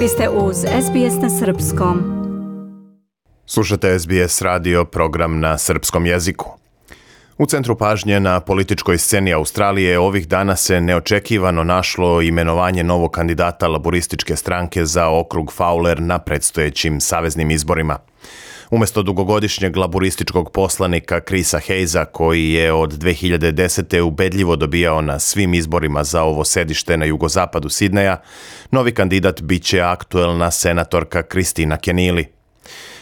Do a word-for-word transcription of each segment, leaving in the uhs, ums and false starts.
Vi ste uz S B S na srpskom. Slušate S B S radio, program na srpskom jeziku. U centru pažnje na političkoj sceni Australije ovih dana se neočekivano našlo imenovanje novog kandidata laburističke stranke za okrug Fowler na predstojećim saveznim izborima. Umjesto dugogodišnjeg laburističkog poslanika Chrisa Hayesa, koji je od dve hiljade desete. ubedljivo dobijao na svim izborima za ovo sedište na jugozapadu Sidneja, novi kandidat bit će aktuelna senatorka Kristina Keneally.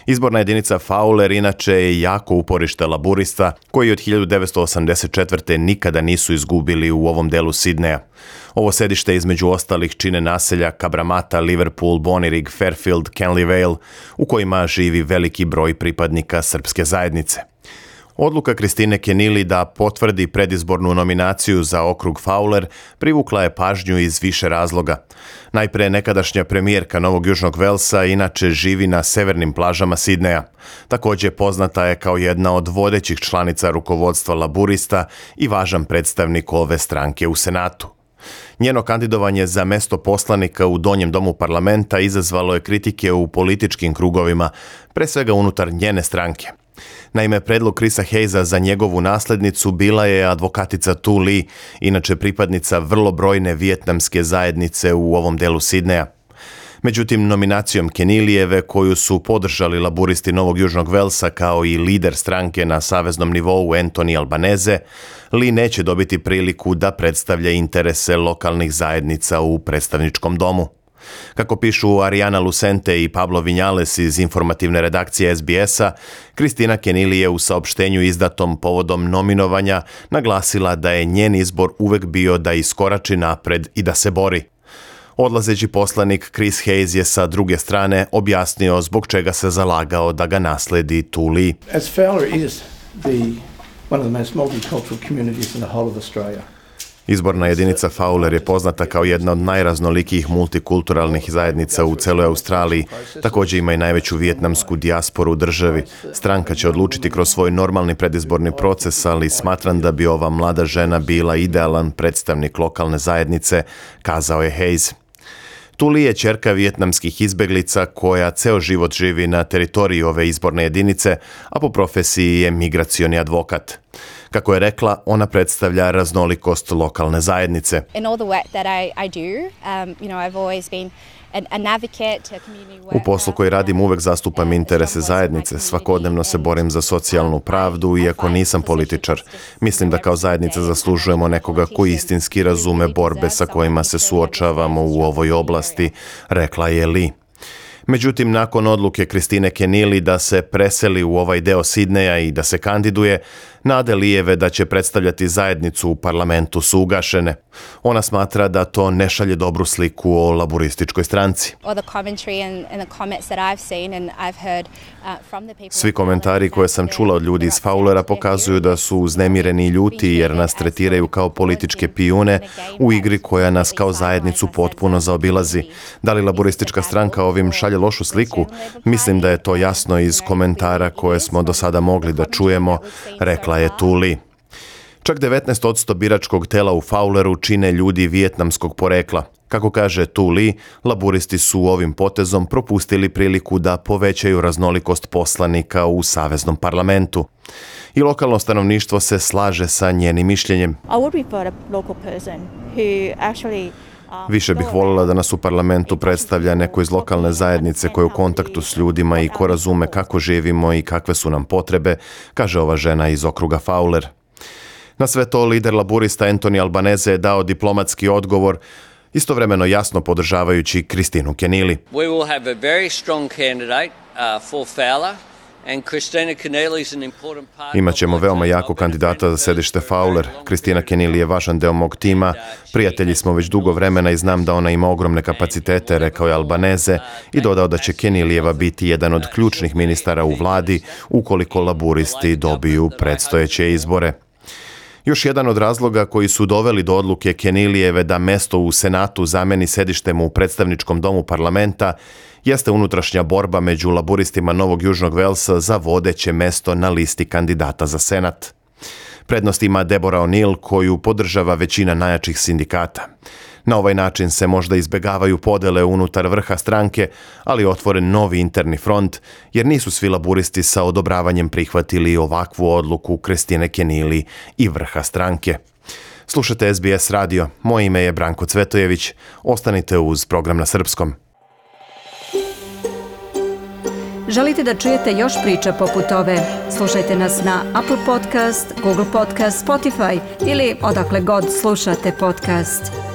Izborna jedinica Fowler inače je jako uporište laburista koji od hiljadu devetsto osamdeset četvrte. nikada nisu izgubili u ovom delu Sidneja. Ovo sedište između ostalih čine naselja Cabramatta, Liverpool, Bonnyrigg, Fairfield, Canley Vale, u kojima živi veliki broj pripadnika srpske zajednice. Odluka Kristine Keneally da potvrdi predizbornu nominaciju za okrug Fowler privukla je pažnju iz više razloga. Najpre, nekadašnja premijerka Novog Južnog Velsa inače živi na severnim plažama Sidneja. Također poznata je kao jedna od vodećih članica rukovodstva laburista i važan predstavnik ove stranke u Senatu. Njeno kandidovanje za mesto poslanika u donjem domu parlamenta izazvalo je kritike u političkim krugovima, pre svega unutar njene stranke. Naime, predlog Chrisa Hayesa za njegovu naslednicu bila je advokatica Tu Lee, inače pripadnica vrlo brojne vijetnamske zajednice u ovom delu Sidneja. Međutim, nominacijom Keneallyjeve, koju su podržali laburisti Novog Južnog Velsa kao i lider stranke na saveznom nivou Anthony Albanese, Lee neće dobiti priliku da predstavlja interese lokalnih zajednica u predstavničkom domu. Kako pišu Ariana Lucente i Pablo Vinales iz informativne redakcije S B S-a, Kristina Keneally je u saopštenju izdatom povodom nominovanja naglasila da je njen izbor uvek bio da iskorači napred i da se bori. Odlazeći poslanik Chris Hayes je sa druge strane objasnio zbog čega se zalagao da ga nasledi Tu Lee. As Fowler is the one of the most multicultural communities in the whole of Australia. Izborna jedinica Fowler je poznata kao jedna od najraznolikijih multikulturalnih zajednica u celoj Australiji. Također ima i najveću vijetnamsku dijasporu u državi. Stranka će odlučiti kroz svoj normalni predizborni proces, ali smatram da bi ova mlada žena bila idealan predstavnik lokalne zajednice, kazao je Hayes. Tu Lee je ćerka vijetnamskih izbeglica koja ceo život živi na teritoriji ove izborne jedinice, a po profesiji je migracioni advokat. Kako je rekla, ona predstavlja raznolikost lokalne zajednice. U poslu koji radim uvek zastupam interese zajednice, svakodnevno se borim za socijalnu pravdu, iako nisam političar. Mislim da kao zajednica zaslužujemo nekoga koji istinski razume borbe sa kojima se suočavamo u ovoj oblasti, rekla je Lee. Međutim, nakon odluke Kristine Keneally da se preseli u ovaj deo Sidneja i da se kandiduje, nade Leejeve da će predstavljati zajednicu u parlamentu su ugašene. Ona smatra da to ne šalje dobru sliku o laburističkoj stranci. Svi komentari koje sam čula od ljudi iz Fowlera pokazuju da su uznemireni i ljuti jer nas tretiraju kao političke pijune u igri koja nas kao zajednicu potpuno zaobilazi. Da li laburistička stranka ovim šalje lošu sliku? Mislim da je to jasno iz komentara koje smo do sada mogli da čujemo, rekla je Tu Lee. Čak devetnaest posto biračkog tela u Fowleru čine ljudi vijetnamskog porekla. Kako kaže Tu Lee, laburisti su ovim potezom propustili priliku da povećaju raznolikost poslanika u saveznom parlamentu. I lokalno stanovništvo se slaže sa njenim mišljenjem. Više bih voljela da nas u parlamentu predstavlja neko iz lokalne zajednice koja je u kontaktu s ljudima i ko razume kako živimo i kakve su nam potrebe, kaže ova žena iz okruga Fowler. Na sve to lider laburista Anthony Albanese je dao diplomatski odgovor, istovremeno jasno podržavajući Kristinu Keneally. We will have a very strong candidate uh, for Fowler. Imaćemo veoma jako kandidata za sedište Fowler. Kristina Keneally je važan deo mog tima. Prijatelji smo već dugo vremena i znam da ona ima ogromne kapacitete, rekao je Albanese i dodao da će Keneallyjeva biti jedan od ključnih ministara u vladi ukoliko laburisti dobiju predstojeće izbore. Još jedan od razloga koji su doveli do odluke Keneallyjeve da mesto u Senatu zameni sedištem u predstavničkom domu parlamenta jeste unutrašnja borba među laburistima Novog Južnog Velsa za vodeće mesto na listi kandidata za Senat. Prednost ima Deborah O'Neill, koju podržava većina najjačih sindikata. Na ovaj način se možda izbegavaju podele unutar vrha stranke, ali je otvoren novi interni front, jer nisu svi laburisti sa odobravanjem prihvatili ovakvu odluku Kristine Kenili i vrha stranke. Slušate S B S radio, moje ime je Branko Cvetojević, ostanite uz program na srpskom. Želite da čujete još priča poput ove? Slušajte nas na Apple Podcast, Google Podcast, Spotify ili odakle god slušate podcast.